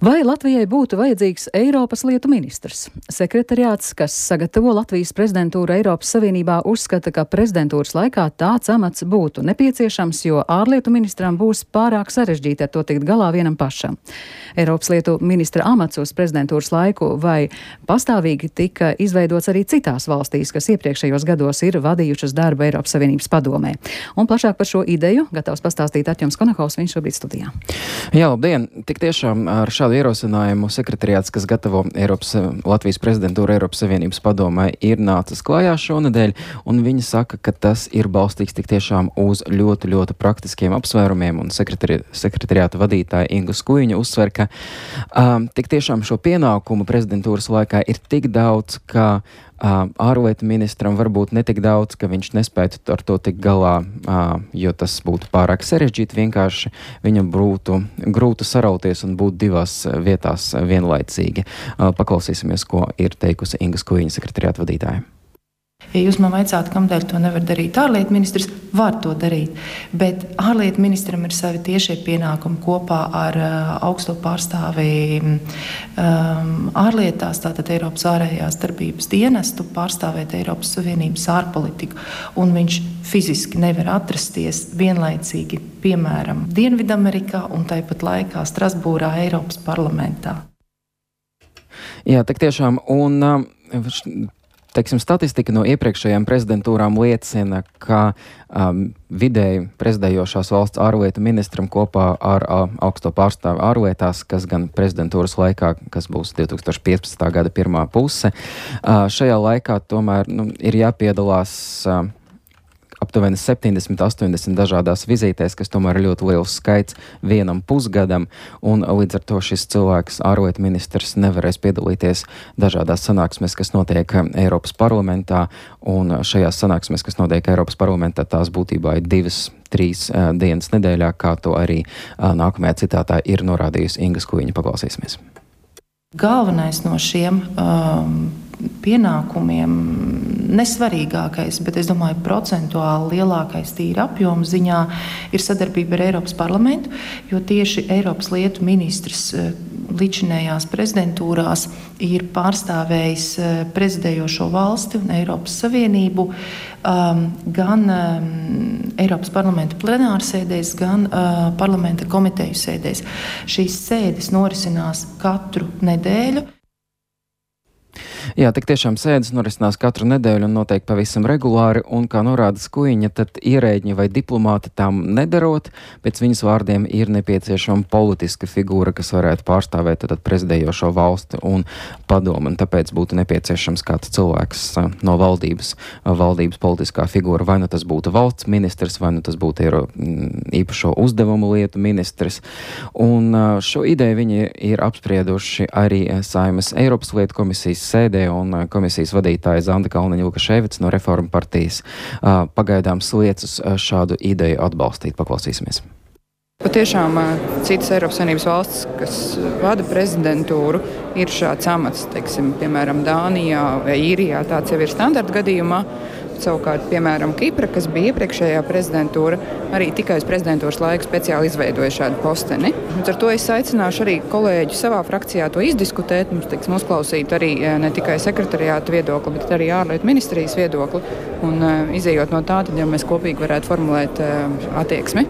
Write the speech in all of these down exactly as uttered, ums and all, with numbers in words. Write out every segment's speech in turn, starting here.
Vai Latvijai būtu vajadzīgs Eiropas lietu ministrs? Sekretariāts, kas sagatavo Latvijas prezidentūru Eiropas Savienībā, uzskata, ka prezidentūras laikā tāds amats būtu nepieciešams, jo ārlietu ministram būs pārāk sarežģīti ar to tikt galā vienam pašam. Eiropas lietu ministra amats uz prezidentūras laiku vai pastāvīgi tika izveidots arī citās valstīs, kas iepriekšējos gados ir vadījušas darbu Eiropas Savienības padomē. Un plašāk par šo ideju gatavs pastāstīt Arķems Konakovs, viņš šobrīd studijā. Jā, labdien! Tik tiešām ar šādu ierosinājumu sekretariāts, kas gatavo Eiropas, Latvijas prezidentūru Eiropas Savienības padomē, ir nācis klājā šonedēļ, un viņi saka, ka tas ir balstīts tik tiešām uz ļoti, ļoti praktiskiem apsvērumiem, un sekretari, sekretariāta vadītāja Inga Skujiņa uzsver, ka um, tik tiešām šo pienākumu prezidentūras laikā ir tik daudz, ka uh, ārlietu ministram varbūt netik daudz, ka viņš nespētu ar to tik galā, uh, jo tas būtu pārāk sarežģīti, vienkārši viņam būtu grūti sarauties un būt divās vietās vienlaicīgi. Paklausīsimies, ko ir teikusi Inga Skujiņa, sekretariāta vadītāja. Ja jūs man vaicātu, kamdēļ to nevar darīt ārlietu ministrs, var to darīt, bet ārlietu ministram ir savi tiešie pienākumi kopā ar uh, augsto pārstāvi um, ārlietās, tātad Eiropas ārējās darbības dienestu, pārstāvēt Eiropas Savienības ārpolitiku, un viņš fiziski nevar atrasties vienlaicīgi, piemēram, Dienvidamerikā un tāpat laikā Strasbūrā, Eiropas parlamentā. Jā, tak tiešām, un um, teiksim, statistika no iepriekšējām prezidentūrām liecina, ka um, vidēji prezidējošās valsts ārlietu ministram kopā ar uh, augsto pārstāvi ārlietās, kas gan prezidentūras laikā, kas būs divi tūkstoši piecpadsmitā gada pirmā puse, uh, šajā laikā tomēr nu, ir jāpiedalās uh, aptuveni septiņdesmit, astoņdesmit dažādās vizītēs, kas tomēr ir ļoti liels skaits vienam pusgadam, un līdz ar to šis cilvēks, ārlietu ministrs, nevarēs piedalīties dažādās sanāksmēs, kas notiek Eiropas parlamentā, un šajās sanāksmēs, kas notiek Eiropas parlamentā, tās būtībā ir divas, trīs uh, dienas nedēļā, kā to arī uh, nākamajā citātā ir norādījusi Inga Skujiņa. Paklausīsimies. Galvenais no šiem um, pienākumiem, nesvarīgākais, bet es domāju, procentuāli lielākais tīri apjomu ziņā ir sadarbība ar Eiropas parlamentu, jo tieši Eiropas lietu ministrs līdzinējās prezidentūrās ir pārstāvējis prezidējošo valsti un Eiropas Savienību um, gan um, Eiropas parlamenta plenārsēdēs, gan uh, parlamenta komiteju sēdēs. Šīs sēdes norisinās katru nedēļu. Jā, tik tiešām sēdes norisinās katru nedēļu un noteikti pavisam regulāri, un, kā norāda Skujiņa, tad ierēģi vai diplomāti tam nedarot, pēc viņas vārdiem ir nepieciešama politiska figūra, kas varētu pārstāvēt tad prezidējošo valsti un padomu, un tāpēc būtu nepieciešams kāds cilvēks no valdības, valdības politiskā figūra, vai nu tas būtu valsts ministrs, vai nu tas būtu eiro, īpašo uzdevumu lietu ministrs, un šo ideju viņi ir apsprieduši arī Saeimas Eiropas lietu komisijas sēdē, un komisijas vadītāja Zanda Kalniņa-Lukaševica no Reforma partijas uh, pagaidām sliecas uh, šādu ideju atbalstīt. Paklausīsimies. Patiešām citas Eiropas Savienības valstis, kas vada prezidentūru, ir šāds amats, teiksim, piemēram, Dānijā vai Īrijā, tāds jau ir standarta gadījumā. Savukārt, piemēram, Kipra, kas bija iepriekšējā prezidentūra, arī tikai uz prezidentūras laiku speciāli izveidoja šādu posteni. Un ar to es aicināšu arī kolēģi savā frakcijā to izdiskutēt, mums, teiksim, uzklausīt arī ne tikai sekretariāta viedokli, bet arī ārlietu ministrijas viedokli. Un izējot no tā, tad jau mēs kopīgi varētu formulēt attieksmi.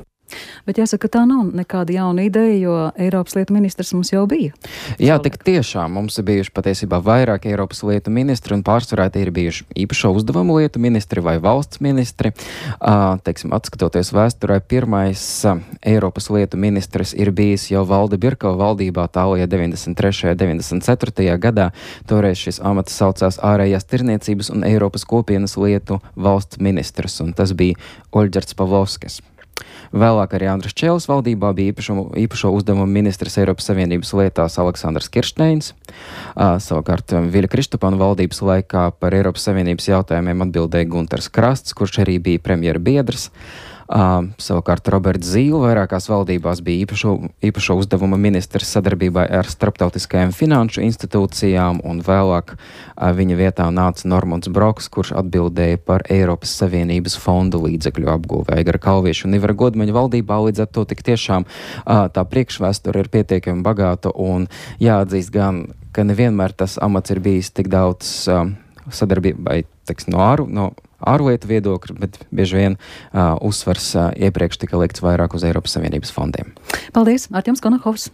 Bet jāsaka, tā nav nekāda jauna ideja, jo Eiropas lietu ministrs mums jau bija. Jā, tik tiešām mums ir bijuši patiesībā vairāk Eiropas lietu ministri, un pārsvarā tie ir bijuši īpašo uzdevumu lietu ministri vai valsts ministri. Uh, teiksim, atskatoties vēsturē, pirmais uh, Eiropas lietu ministrs ir bijis jau Valde Birkova valdībā tālajā deviņdesmit trešajā deviņdesmit ceturtajā gadā. Toreiz šis amats saucās ārējās tirniecības un Eiropas kopienas lietu valsts ministrs, un tas bija Oļģerts Pavlovskis. Vēlāk arī Andris Čēlis valdībā bija īpašo, īpašo uzdevumu ministrs Eiropas Savienības lietās Aleksandrs Kiršteins. Uh, savukārt Viļa Kristupāna valdības laikā par Eiropas Savienības jautājumiem atbildēja Gunters Krasts, kurš arī bija premjera biedrs. Uh, savukārt Roberts Zīle vairākās valdībās bija īpašo, īpašo uzdevuma ministrs sadarbībā ar starptautiskajām finanšu institūcijām, un vēlāk uh, viņa vietā nāca Normunds Broks, kurš atbildēja par Eiropas Savienības fondu līdzekļu apgūvi Aigara Kalvieša un Ivara Godmaņa valdībā. Līdz ar to tik tiešām uh, tā priekšvēsture ir pietiekami bagāta, un jāatzīst gan, ka nevienmēr tas amats ir bijis tik daudz uh, sadarbībai, teiks, no āru, no ārlietu viedokļa, bet bieži vien uh, uzsvars uh, iepriekš tika likts vairāk uz Eiropas Savienības fondiem. Paldies, Artjoms Konahovs.